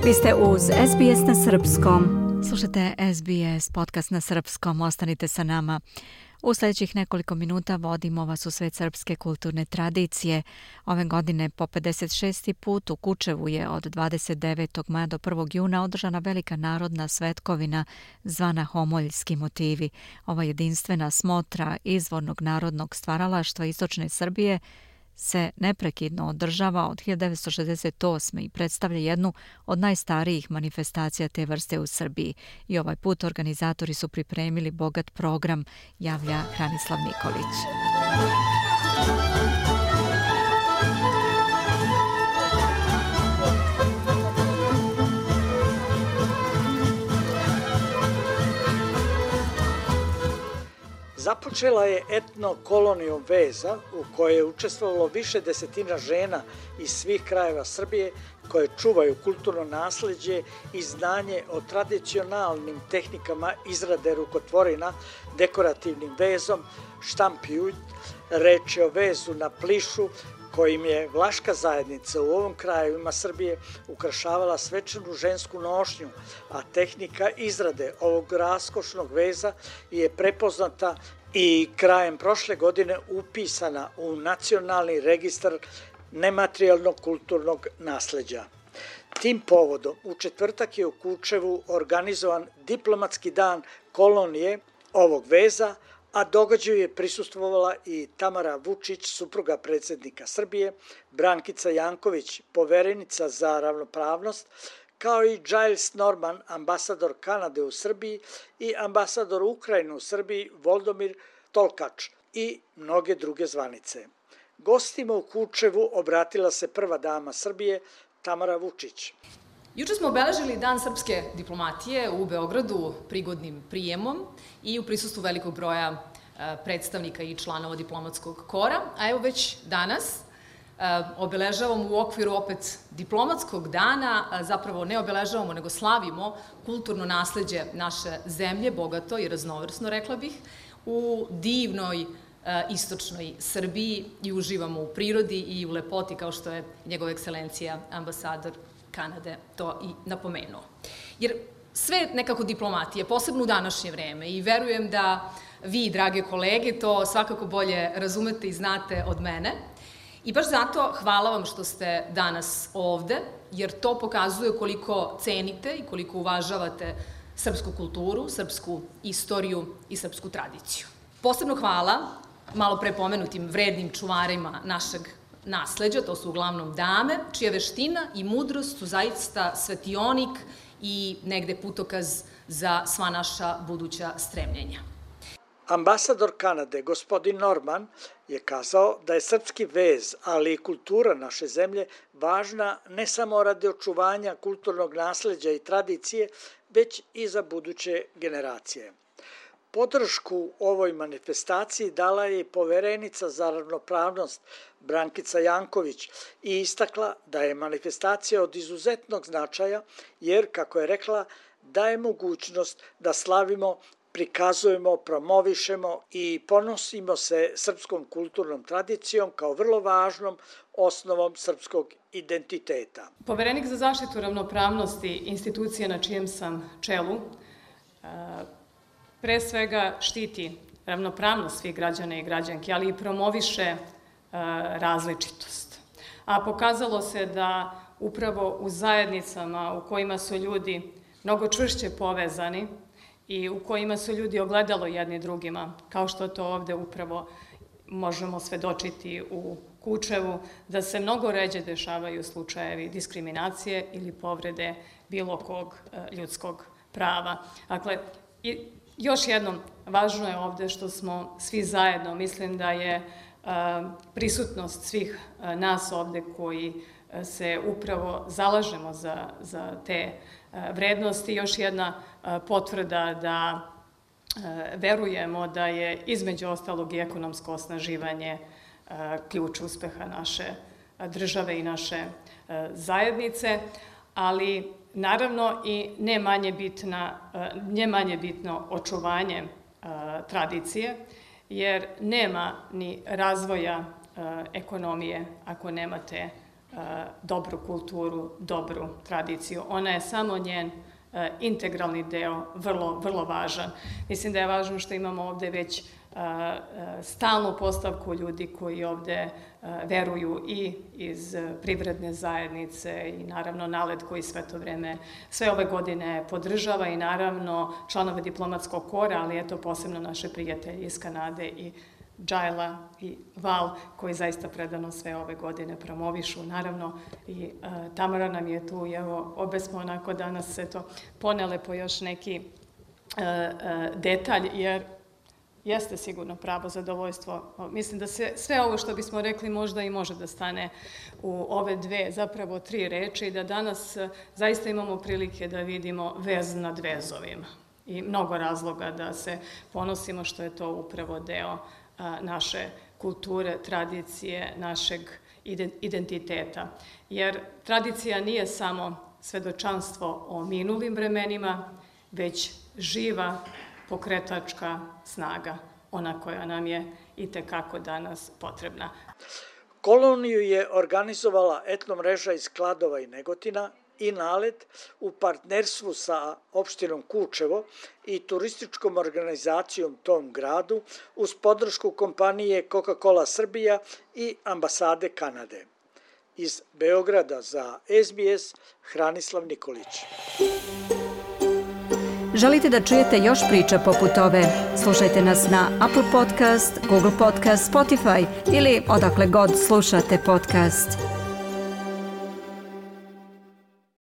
Vi ste uz SBS na srpskom. Slušate SBS podcast na srpskom. Ostanite sa nama. U sljedećih nekoliko minuta vodimo vas u svet srpske kulturne tradicije. Ove godine po 56. put u Kučevu je od 29. maja do 1. juna održana velika narodna svetkovina zvana Homoljski motivi. Ova jedinstvena smotra izvornog narodnog stvaralaštva istočne Srbije se neprekidno održava od 1968. i predstavlja jednu od najstarijih manifestacija te vrste u Srbiji. I ovaj put organizatori su pripremili bogat program, javlja Hranislav Nikolić. Započela je etno-kolonijom veza u kojoj je učestvovalo više desetina žena iz svih krajeva Srbije koje čuvaju kulturno nasleđe i znanje o tradicionalnim tehnikama izrade rukotvorina, dekorativnim vezom, štampijuj, reč je o vezu na plišu kojim je vlaška zajednica u ovom krajevima Srbije ukrašavala svečanu žensku nošnju, a tehnika izrade ovog raskošnog veza je prepoznata i krajem prošle godine upisana u Nacionalni registar nematerijalnog kulturnog nasleđa. Tim povodom u četvrtak je u Kučevu organizovan diplomatski dan kolonije ovog veza, a događaju je prisustvovala i Tamara Vučić, supruga predsjednika Srbije, Brankica Janković, poverenica za ravnopravnost, kao i Giles Norman, ambasador Kanade u Srbiji i ambasador Ukrajine u Srbiji Voldomir Tolkač i mnoge druge zvanice. Gostima u Kučevu obratila se prva dama Srbije, Tamara Vučić. Juče smo obeležili Dan srpske diplomatije u Beogradu prigodnim prijemom i u prisustvu velikog broja predstavnika i članova diplomatskog kora, a evo već danas obeležavamo u okviru opet diplomatskog dana, zapravo ne obeležavamo nego slavimo kulturno nasleđe naše zemlje, bogato i raznovrsno, rekla bih, u divnoj istočnoj Srbiji i uživamo u prirodi i u lepoti kao što je njegova ekscelencija ambasador Kanade to i napomenuo. Jer sve nekako diplomatije, posebno u današnje vreme, i verujem da vi, drage kolege, to svakako bolje razumete i znate od mene. I baš zato hvala vam što ste danas ovde, jer to pokazuje koliko cenite i koliko uvažavate srpsku kulturu, srpsku istoriju i srpsku tradiciju. Posebno hvala malo pre pomenutim vrednim čuvarima našeg nasleđa, to su uglavnom dame, čija veština i mudrost su zaista svetionik i negde putokaz za sva naša buduća stremljenja. Ambasador Kanade, gospodin Norman, je kazao da je srpski vez, ali i kultura naše zemlje važna ne samo radi očuvanja kulturnog nasleđa i tradicije, već i za buduće generacije. Podršku ovoj manifestaciji dala je i poverenica za ravnopravnost Brankica Janković i istakla da je manifestacija od izuzetnog značaja jer, kako je rekla, daje mogućnost da slavimo, prikazujemo, promovišemo i ponosimo se srpskom kulturnom tradicijom kao vrlo važnom osnovom srpskog identiteta. Poverenik za zaštitu ravnopravnosti institucije na čijem sam čelu pre svega štiti ravnopravnost svih građana i građanki, ali i promoviše različitost. A pokazalo se da upravo u zajednicama u kojima su ljudi mnogo čvršće povezani i u kojima su ljudi ogledalo jedni drugima, kao što to ovde upravo možemo svedočiti u Kučevu, da se mnogo ređe dešavaju slučajevi diskriminacije ili povrede bilo kog ljudskog prava. Dakle, još jednom, važno je ovde što smo svi zajedno, mislim da je prisutnost svih nas ovde koji se upravo zalažemo za te vrednosti, još jedna potvrda da verujemo da je između ostalog i ekonomsko osnaživanje ključ uspeha naše države i naše zajednice, ali naravno i ne manje bitno očuvanje tradicije, jer nema ni razvoja ekonomije ako nemate dobru kulturu, dobru tradiciju. Ona je samo njen integralni deo, vrlo, vrlo važan. Mislim da je važno što imamo ovde već stalnu postavku ljudi koji ovde veruju i iz privredne zajednice i naravno NALED koji sve ove godine podržava i naravno članove diplomatskog kora, ali eto posebno naše prijatelji iz Kanade i Džajla i Val, koji zaista predano sve ove godine promovišu. Naravno, i Tamara nam je tu, i evo, obe smo onako danas ponele po još neki detalj, jer jeste sigurno pravo zadovoljstvo. Mislim da sve ovo što bismo rekli možda i može da stane u ove dve, zapravo 3 reči, i da danas zaista imamo prilike da vidimo vez nad vezovima. I mnogo razloga da se ponosimo što je to upravo deo naše kulture, tradicije, našeg identiteta. Jer tradicija nije samo svedočanstvo o minulim vremenima, već živa pokretačka snaga, ona koja nam je itekako danas potrebna. Koloniju je organizovala etno mreža iz Kladova i Negotina i NALED u partnerstvu sa opštinom Kučevo i turističkom organizacijom tom gradu uz podršku kompanije Coca-Cola Srbija i ambasade Kanade. Iz Beograda za SBS, Hranislav Nikolić. Želite da čujete još priča poput ove? Slušajte nas na Apple Podcast, Google Podcast, Spotify ili odakle god slušate podcast.